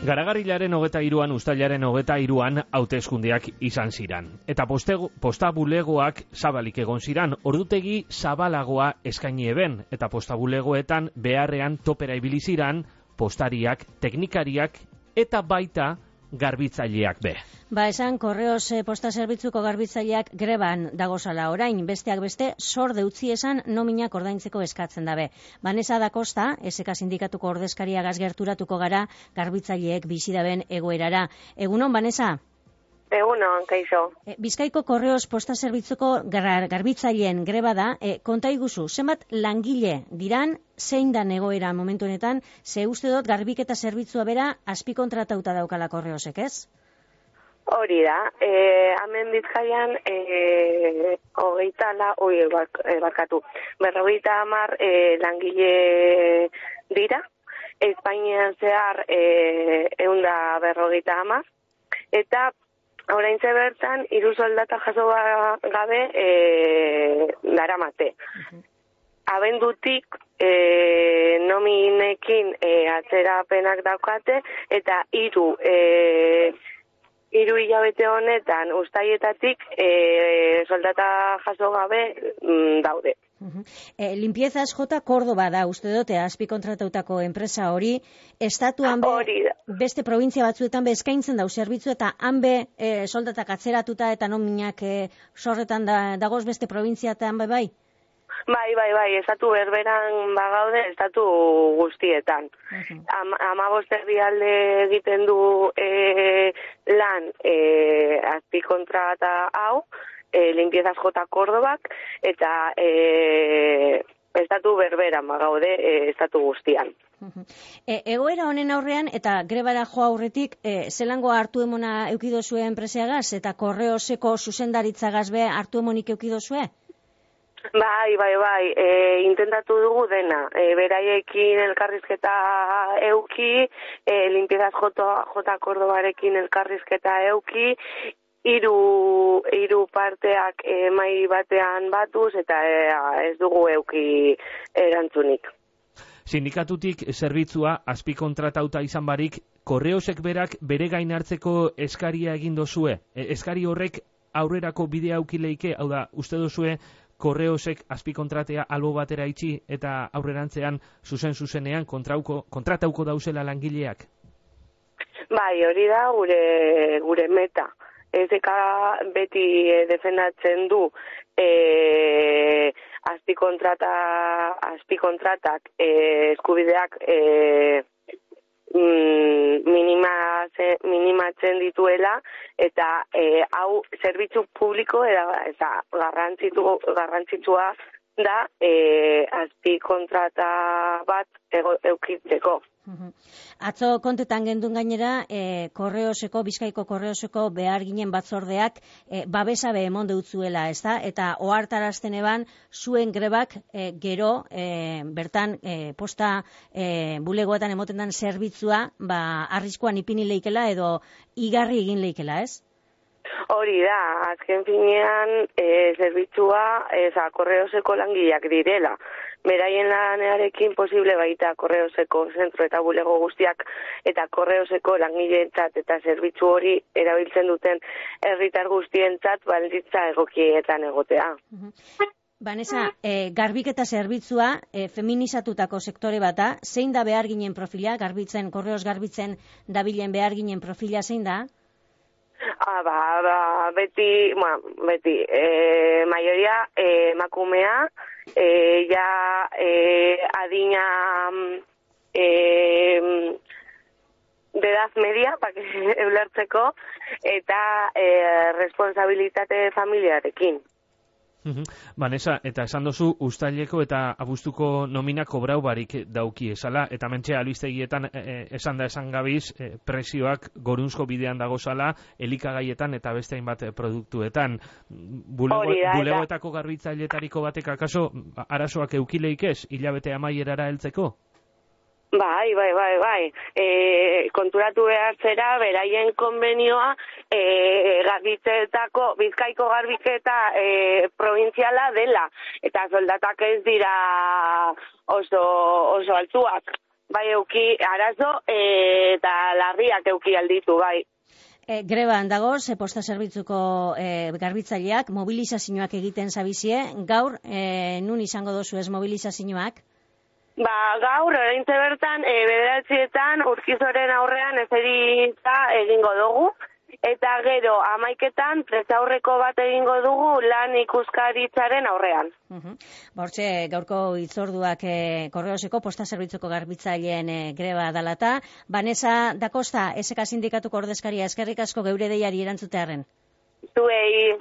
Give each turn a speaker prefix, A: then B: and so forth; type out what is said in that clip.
A: Garagarrilaren 23an, uztailaren 23an hauteskundeak izan ziran. Eta posta bulegoak zabalik egon ziran, ordutegi zabalagoa eskaini eben. Eta posta bulegoetan beharrean topera ibili ziran, postariak, teknikariak eta baita garbitzaileak be.
B: Esan Correos posta zerbitzuko garbitzaileak greban dagozala orain, besteak beste sorde utzi esan nominak ordaintzeko eskatzen dabe. Vanessa da Costa, SK sindikatuko ordezkaria gerturatuko gara garbitzaileek bizi daben egoerara. Egunon, Vanessa?
C: Egunon, kaixo.
B: Bizkaiko Correos posta zerbitzuko garbitzaileen greba da, konta iguzu, zenbat langile diran, zein da egoera momentu honetan, ze uste dut garbiketa zerbitzua bera azpikontratauta daukala Correosek, ez?
C: Hori da, hemen Bizkaian 50 langile dira, Espainian zehar 150, eta oraintxe bertan 3 soldata jaso gabe daramate. Abendutik nominekin atzerapenak daukate eta 3 hilabete honetan uztailetatik soldata jaso gabe daude.
B: Limpiezas J. Córdoba da, uste dute, azpikontratautako enpresa hori, estatuan beste provintzia batzuetan be eskaintzen dau zerbitzu eta han be soldatak atzeratuta eta nominak sorretan dagoz beste provintziatan bai?
C: Bai, estatu berberan bagaude, estatu guztietan. 15 herrialde egiten du lan azpikontrata hau, Limpiezas J. Córdobak, eta estatu berberan bagaude, estatu guztian.
B: Egoera honen aurrean, eta grebara joa aurretik, zelango hartu emona eukidozue enpreseagaz, eta Correoseko zuzendaritzagaz be hartu emonik eukidozue?
C: Bai, intentatu dugu dena. Beraiekin elkarrizketa euki, Limpiezas J. Córdobarekin elkarrizketa euki, hiru parteak mai batean batuz, eta ez dugu euki erantzunik.
A: Sindikatutik zerbitzua azpikontratauta izan barik, Correosek berak bere gain hartzeko eskaria egin dozue. Eskari horrek aurrerako bidea aukileike, hau da, uste dozue, Correosek azpikontratea albo batera itxi eta aurrerantzean zuzenean kontratauko dauzela langileak? Bai,
C: hori da gure meta. Ezeka beti defendatzen du azpikontratak eskubideak minimatzen dituela, eta hau zerbitzu publiko eta garrantzitsua da azpikontrata bat eukitzeko.
B: Atzo kontetan gendun gainera, Bizkaiko Correoseko behar ginen batzordeak babesabe emon deutzuela, ezta? Eta ohartarazten eban zuen grebak gero bertan posta bulegoetan emoten dan zerbitzua arriskuan ipini leikela edo igarri egin leikela, ez?
C: Hori da, azken finean zerbitzua Correoseko langileak direla. Beraien lanearekin posible baita Correoseko zentro eta bulego guztiak eta Correoseko langileentzat eta zerbitzu hori erabiltzen duten herritar guztientzat baldintza egokietan egotea.
B: Vanessa, garbiketa zerbitzua feminizatutako sektore bata, zein da behar ginen profila, Correos garbitzen dabilen behar ginen profila zein da?
C: Beti, maioria emakumea, adina de edad media, ulertzeko, eta responsabilitate familiarekin.
A: Vanessa, eta esan dozu uztaileko eta abuztuko nomina kobrau barik dauki esala, eta mentxe albistegietan esan gabiz presioak gorunzko bidean dagozala, elikagaietan eta beste hainbat produktuetan. Bulegoetako garbitzailetariko batek akaso arazoak eukileik ez, hilabete amaierara heltzeko?
C: Bai. Konturatu behar zera, beraien konbenioa garbitzetako, Bizkaiko garbiketa provintziala dela, eta soldatak ez dira oso altzuak. bai euki arazo eta larriak euki alditu, bai.
B: Greban dagoz, posta zerbitzuko garbitzaileak mobilizazioak egiten zabizie. Gaur, nun izango dozu ez mobilizazioak?
C: Gaur, oraintxe bertan, 9:00 Urkizoren aurrean eserita egingo dugu. Eta gero, 11:00 prentsaurreko bat egingo dugu lan ikuskaritzaren aurrean.
B: Hortxe, gaurko hitzorduak Korreoseko posta zerbitzuko garbitzaileen greba dalata. Vanessa da Costa, SK sindikatuko ordezkaria, eskerrik asko geure deiari erantzutearren.
C: Zuei.